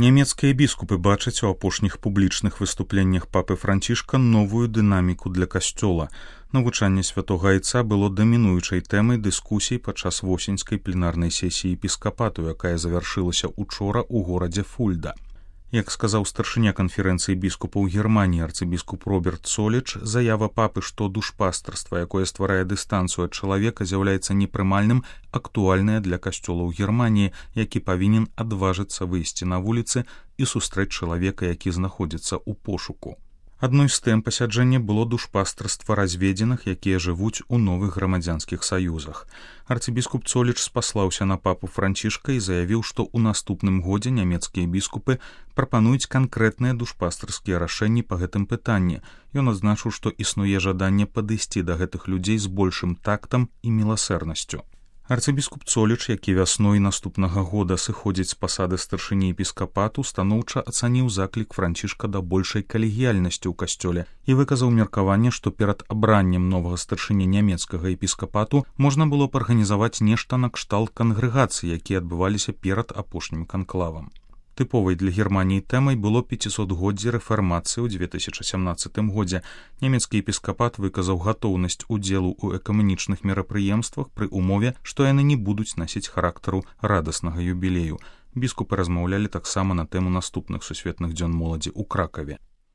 Нямецкія біскупы бачаць у апошніх публічных выступленнях папы Францішка новую дынаміку для касцёла. Навучанне святога айца было дамінуючай тэмай дыскусій падчас восеньскай пленарнай сесіі епіскапату, якая завяршылася учора ў горадзе Фульда. Як сказаў старшыня канферэнцыі біскупаў Германіі арцыбіскуп Роберт Соліч, заява папы, што душпастарства, якое стварае дыстанцыю ад чалавека, з'яўляецца непрымальным, актуальная для касцёла ў Германіі, які павінен адважыцца выйсці на вуліцы і сустрэць чалавека, які знаходзіцца ў пошуку. Адной з тэм пасяджэння было душпастарства разведзеных, якія жывуць у новых грамадзянскіх саюзах. Арцыбіскуп Соліч спаслаўся на папу Францішка і заявіў, што ў наступным годзе нямецкія біскупы прапануюць канкрэтныя душпастарскія рашэнні па гэтым пытанні. Ён адзначыў, што існуе жаданне падысці да гэтых людзей з большым тактам і міласэрнасцю. Арцыбіскуп Соліч, які вясной наступнага года сыходзіць з пасады старшыні епіскапату, станоўча ацаніў заклік Францішка да большай калегіяльнасці ў касцёле і выказаў меркаванне, што перад абраннем новага старшыні нямецкага епіскапату можна было б арганізаваць нешта накшталт кангрэгацыі, якія адбываліся перад апошнім канклавам. Тыповай для Германіі тэмай было 500годдзе рэфармацыі ў 2017 годзе. Нямецкі епіскапат выказаў гатоўнасць удзелу ў экамунічных мерапрыемствах пры умове, што яны не будуць насіць характару радаснага юбілею. Біскупы размаўлялі таксама на тэму наступных сусветных дзён моладзі ў Кракаве.